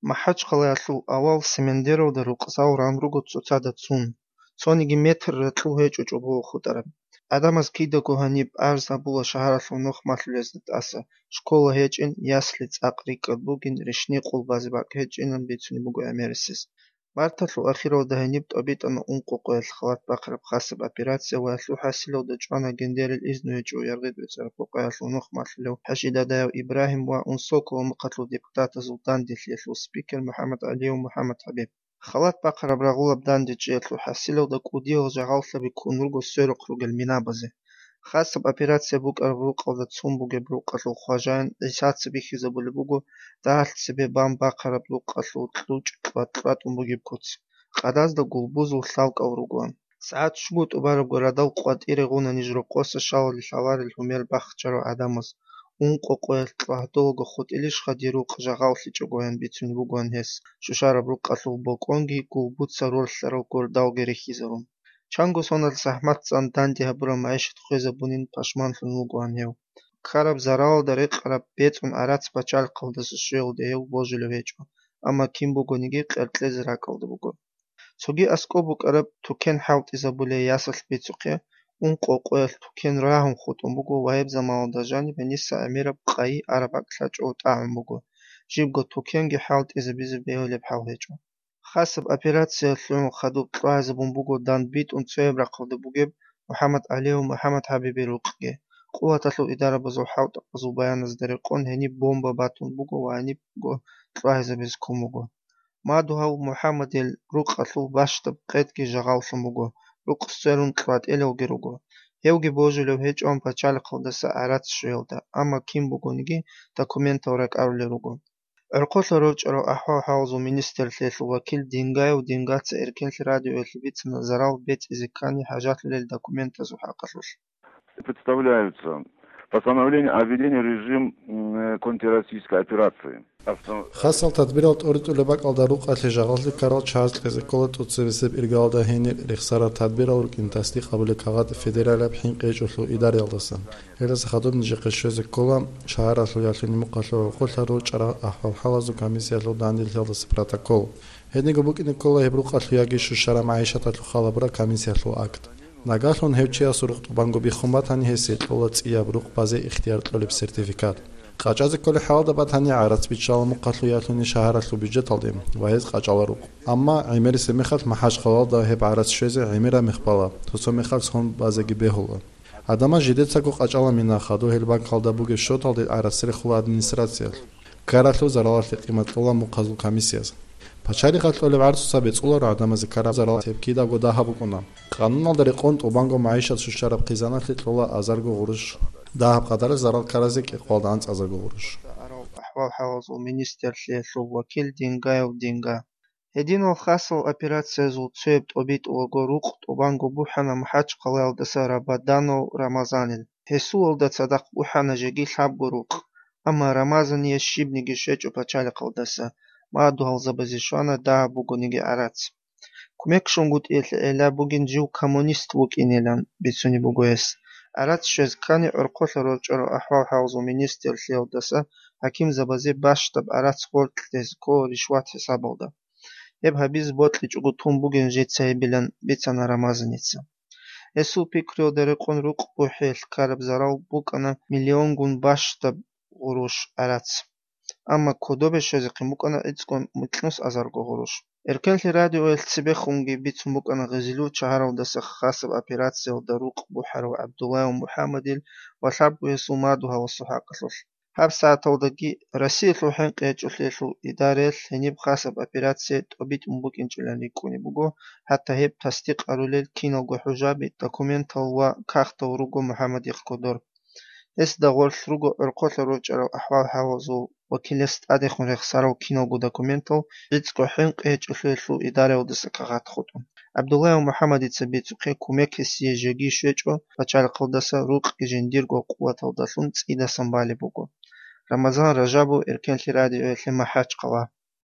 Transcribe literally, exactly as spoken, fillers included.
МахӀачхъалаялъул авал Семендеровда рукъзал ран руго цоцазда цун, цониги метр ракьул гьечӀо чӀобого хутӀараб. ГӀадамаз кидаго гьаниб арз гьабула шагьаралъул нухмалъулезда тӀаса, школа гьечӀин, ясли цӀакъ рикӀкӀад бугин, ришни къулбазе бакӀ гьечӀинан бицунеб буго гӀемерисез. Марталъул ахиралда гьениб тӀобитӀана ункъо къоялъ халат бахъараб хасаб операция ва гьелъул хӀасилалда чӀвана гендерил изну гьечӀо Яргъид БецӀараб къокъаялъул нухмалъулев ХӀажидадаяв Ибрагьим ва Унсокова мухъалъул депутатазул данделъиялъул спикер МухӀаммад ГӀалиев МухӀаммад ХӀабиб. Халат бахъараб рагъулаб дандечӀеялъул хӀасилалда кӀудиял жагъаллъаби ккун руго сверухъ ругел минабазе. Хасаб операция букӀараб рукъалда цун бугеб рукъалъул хважаин ГӀисаца бихьизабулеб буго дагьалъ цебе бан бахъараб рукъалъул кьучӀ кьват-кьватӀун бугеб куц. Къадазда гулбузул лъалкӀал ругоан. СагӀат щуго тӀубарабго радал къватӀире гъуна ниж рокъоса шалали лъаларел гьумер бахчарав гӀадамаз. Ункъо къоялъ кьвагьдолаго хутӀилищха дир рукъ жагъаллъичӀогоян бицунеб бугоан гьес, щущараб рукъалъул бокӀонги гулбуца ролъарал гордалги рихьизарун. Чанго сонал захӀматцан данде гьабураб магӀишат хвезабунин пашманлъун вугоан гьев. Ккараб заралалда рекъараб бецӀун гӀарац пачалихъалдаса щвеялде гьев божулев гьечӀо, амма кин бугониги къеркьезе ракӀалда буго. Цоги аскӀоб букӀараб тукен хӀалтӀизабулей ясалъ бицухъе, ункъо къоялъ тукен рагьун хутӀун буго ва гьеб заманалда жаниб гьениса гӀемераб къайи араб бакӀлъачӀого тӀагӀун буго, жибго тукенги хӀалтӀизабизе бегьулеб хӀал гьечӀо. Хасаб операция лъугӀун хадуб кьвагьизабун буго дандбитӀун цояб рахъалда бугеб МухӀаммад ГӀалиев МухӀаммад ХӀабибил рукъги. Къуваталъул идарабазул хӀалтӀабазул баяназда рекъон гьениб бомба батун буго ва гьанибго кьвагьизабизе ккун буго. Мадугьав МухӀаммадил рукъалъул бащдаб къедги жагъаллъун буго, рукъ сверун кьватӀелалги руго. Гьевги божулев гьечӀоан пачалихъалдаса гӀарац щвеялда, амма кин бугониги документал ракӀарулел руго. ГӀорхъолъа рорчӀарав ахӀвал-хӀалазул министрлъиялъул вакил Дингаев Дингаца Эркенлъи радиоялъе бицана зарал бецӀизе ккани хӀажалъулел документазул хӀакъалъулъ. Представляются постановление о введении режим, м, контртеррористической операции. Авто- Хасал тадбирал тӀоритӀулеб бакӀалда рукъалъе жагъаллъи ккарал чагӀаз кьезе ккола тӀоцебесеб иргалда гьенир рехсарал тадбирал рукӀин тасдикъ гьабулеб кагъат федералияб хӀинкъи гьечӀолъул идараялдаса. Гьелдаса хадуб нижехъе щвезе ккола шагьаралъул ялъуни мукъалъул гӀорхъолъа рорчӀарал ахӀвал-хӀалазул комиссиялъул данделъиялдаса протокол. Гьединго букӀине ккола гьеб рукъалъул яги щущараб магӀишаталъул хал гьабураб комиссиялъул акт. Нагагьлъун гьев чиясул рукъ тӀубанго биххун батани, гьесие кьола цӀияб рукъ базе ихтияр кьолеб сертификат. КъачӀазе кколеб хӀалалда батани, гӀарац биччала мухъалъул ялъуни шагьаралъул бюджеталде ва гьез къачӀала рукъ. Амма гӀемерисеб мехалъ МахӀачхъалалда гьеб гӀарац щвезе гӀемераб мехалъ бала, цо-цо мехалъ сон базеги бегьула. Гьадамаз жидецаго къачӀала мина, хадур гьел банкалда бугеб счеталде гӀарац рехула администрациялъ. Ккаралъул заралалъе къимат кьола мухъазул комиссияз. Пачалихъалъ кьолеб гӀарцуца бецӀуларо гӀадамазе ккараб зарал, гьеб кидаго дагьаб букӀуна. Къануналда рекъон тӀубанго магӀишат щущараб хъизаналъе кьола азарго гъурущ. Дагьаб къадаралъ зарал ккаразе кӀикъоялда анцӀазарго гъурущ. АхӀвал-хӀалазул министрлъиялъул вакил Дингаев Динга. Гьединал хасал операциязул цояб тӀобитӀулаго рукъ тӀубанго бухӀана МахӀачхъалаялдаса Рабаданов Рамазанил. Гьесулалда цадахъ бухӀана жеги лъабго рукъ, амма Рамазание щибниги щвечӀо пачалихъалдаса, мадугьалзабазе щвана дагьаб бугониги гӀарац. Кумек щунгутӀиялъе гӀелаб бугин жив коммунист вукӀинилан бицунеб буго гьес. ГӀарац щвез ккани гӀорхъолъа рорчӀарав ахӀвал-хӀалазул министрлъиялдаса хӀакимзабазе бащдаб гӀарац гъоркьлъизе ккола ришват хӀисабалда. Гьеб гьабизе бокьичӀого тун бугин жеца гьебилан бицана Рамазаница. Гьесул пикруялда рекъон рукъ бухӀиялъ ккараб зарал букӀана миллионгун бащдаб гъурущ гӀарац. Амма кодобе щвезехъин букӀана гӀицӀго микьнус азарго гъурущ. Эркенлъи радиоялъ цебехунги бицун букӀана Гъизилу шагьаралдаса хасаб операциялда рукъ бухӀарав ГӀабдуллаев МухӀаммадил ва лъабго гьесул мадугьаласул хӀакъалъулъ. ГьабсагӀаталдаги Россиялъул хӀинкъи гьечӀолъиялъул идараялъ гьениб хасаб операция тӀобитӀун букӀинчӀилан рикӀкӀунеб буго, хӀатта гьеб тасдикъарулел киналго хӀужаби, документал ва кагътал руго МухӀаммадихъ кодор. Гьесда гъорлъ руго гӀорхъолъа рорчӀарал ахӀвал-хӀалазул вакилас тӀадехун рехсарал киналго документал, гӀицӀго хӀинкъи гьечӀолъиялъул идараялдаса кагъат хутӀун. ГӀабдуллаев МухӀаммадица бицухъе кумек гьесие жеги щвечӀо, пачалихъалдаса рукъги жиндирго къуваталдалъун цӀидасан балеб буго. Рамазан Ражабов, Эркенлъи радиоялъе МахӀачхъала.